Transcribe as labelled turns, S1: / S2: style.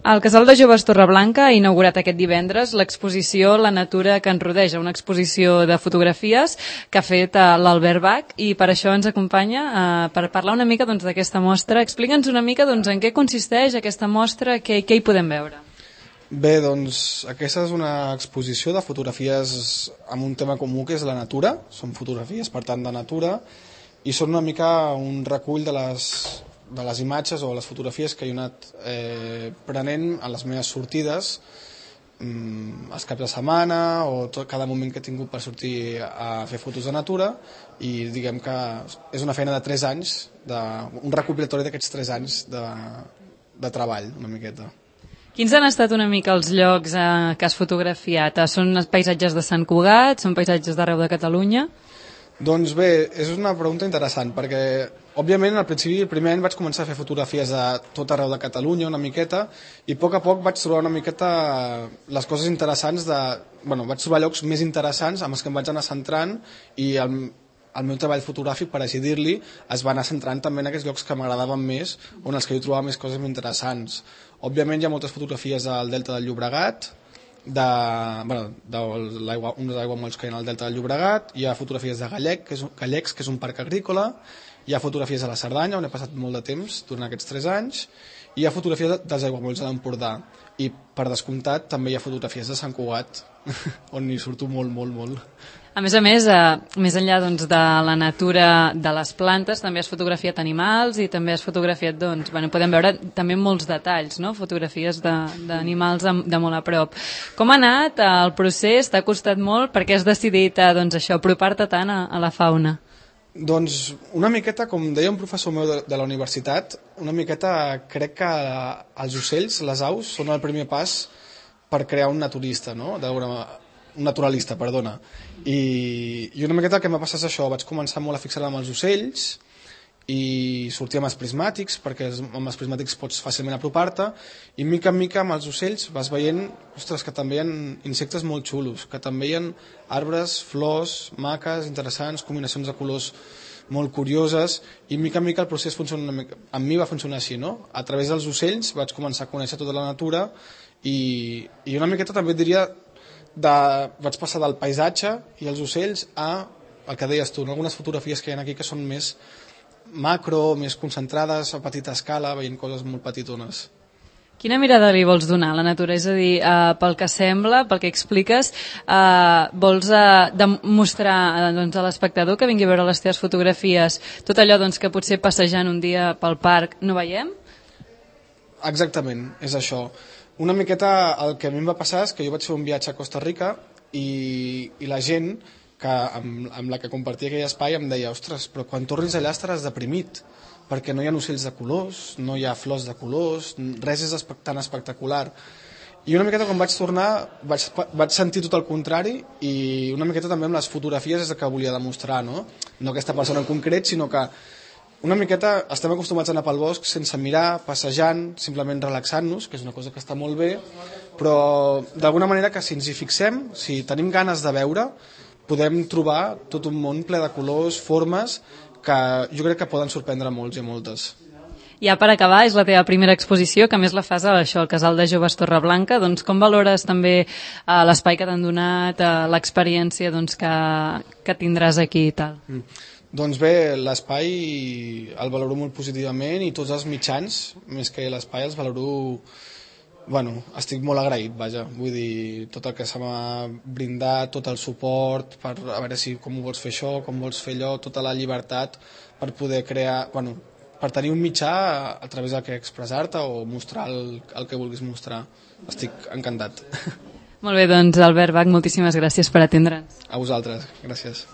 S1: El Casal de Joves Torreblanca ha inaugurat aquest divendres l'exposició La natura que ens rodeja, una exposició de fotografies que ha fet l'Albert Bach, i per això ens acompanya per parlar una mica d'aquesta mostra. Explica'ns una mica en què consisteix aquesta mostra, què hi podem veure.
S2: Bé, doncs aquesta és una exposició de fotografies amb un tema comú que és la natura. Són fotografies, per tant, de natura, i són una mica un recull de les imatges o les fotografies que he anat prenent a les meves sortides, els caps de setmana o cada moment que he tingut per sortir a fer fotos de natura, i diguem que és una feina de 3 anys, un recopilatori d'aquests 3 anys de treball, una miqueta.
S1: Quins han estat una mica els llocs que has fotografiat? Són paisatges de Sant Cugat? Són paisatges d'arreu de Catalunya?
S2: Doncs bé, és una pregunta interessant, perquè òbviament al principi, el primer any vaig començar a fer fotografies de tot arreu de Catalunya una miqueta, i a poc vaig trobar una miqueta les coses interessants vaig trobar llocs més interessants amb els que em vaig anar centrant, i el meu treball fotogràfic, per així dir-li, es va anar centrant també en aquests llocs que m'agradaven més, on els que jo trobava més coses interessants. Òbviament hi ha moltes fotografies al Delta del Llobregat, uns aiguamolls que hi ha al Delta del Llobregat, hi ha fotografies de Gallecs, que és un parc agrícola, hi ha fotografies a la Cerdanya, on he passat molt de temps durant aquests 3 anys, i hi ha fotografies dels aiguamolls de l'Empordà, i per descomptat també hi ha fotografies de Sant Cugat, on hi surto molt, molt, molt.
S1: A més, més enllà de la natura de les plantes, també has fotografiat animals i també has fotografiat, podem veure també molts detalls, no? Fotografies d'animals de molt a prop. Com ha anat el procés? T'ha costat molt? Per què has decidit apropar-te tant a la fauna?
S2: Doncs una miqueta, com deia un professor meu de la universitat, una miqueta crec que els ocells, les aus, són el primer pas per crear un naturalista, no? Un naturalista, perdona. I una miqueta el que m'ha passat és això, vaig començar molt a fixar-me amb els ocells i sortir amb els prismàtics, perquè amb els prismàtics pots fàcilment apropar-te, i mica en mica amb els ocells vas veient, ostres, que també hi ha insectes molt xulos, que també hi ha arbres, flors, maques, interessants, combinacions de colors molt curioses, i mica en mica el procés funciona amb mi va funcionar així, no? A través dels ocells vaig començar a conèixer tota la natura, i una miqueta també et diria vaig passar del paisatge i els ocells a el que deies tu, algunes fotografies que hi ha aquí que són més macro, més concentrades a petita escala, veient coses molt petitones.
S1: Quina mirada li vols donar a la natura? És a dir, pel que sembla, pel que expliques, vols demostrar a l'espectador que vingui a veure les teves fotografies tot allò que potser passejant un dia pel parc no veiem?
S2: Exactament, és això. Una miqueta el que a mi em va passar és que jo vaig fer un viatge a Costa Rica i la gent amb la que compartia aquell espai em deia, ostres, però quan tornis allà estaràs deprimit, perquè no hi ha ocells de colors, no hi ha flors de colors, res és tan espectacular. I una miqueta quan vaig tornar vaig sentir tot el contrari, i una miqueta també amb les fotografies és el que volia demostrar, no aquesta persona en concret, sinó que una miqueta estem acostumats a anar pel bosc sense mirar, passejant, simplement relaxant-nos, que és una cosa que està molt bé, però d'alguna manera que si ens hi fixem, si tenim ganes de veure, podem trobar tot un món ple de colors, formes, que jo crec que poden sorprendre molts i moltes.
S1: Ja per acabar, és la teva primera exposició, que a més la fas al Casal de Joves Torreblanca. Com valores també l'espai que t'han donat, l'experiència que tindràs aquí i tal?
S2: Doncs bé, l'espai el valoro molt positivament, i tots els mitjans, més que l'espai, els valoro... estic molt agraït, vaja. Vull dir, tot el que se m'ha brindat, tot el suport, per a veure com ho vols fer això, com vols fer allò, tota la llibertat per poder crear... per tenir un mitjà a través del que expressar-te o mostrar el que vulguis mostrar. Estic encantat.
S1: Molt bé, Albert Bach, moltíssimes gràcies per atendre'ns.
S2: A vosaltres, gràcies.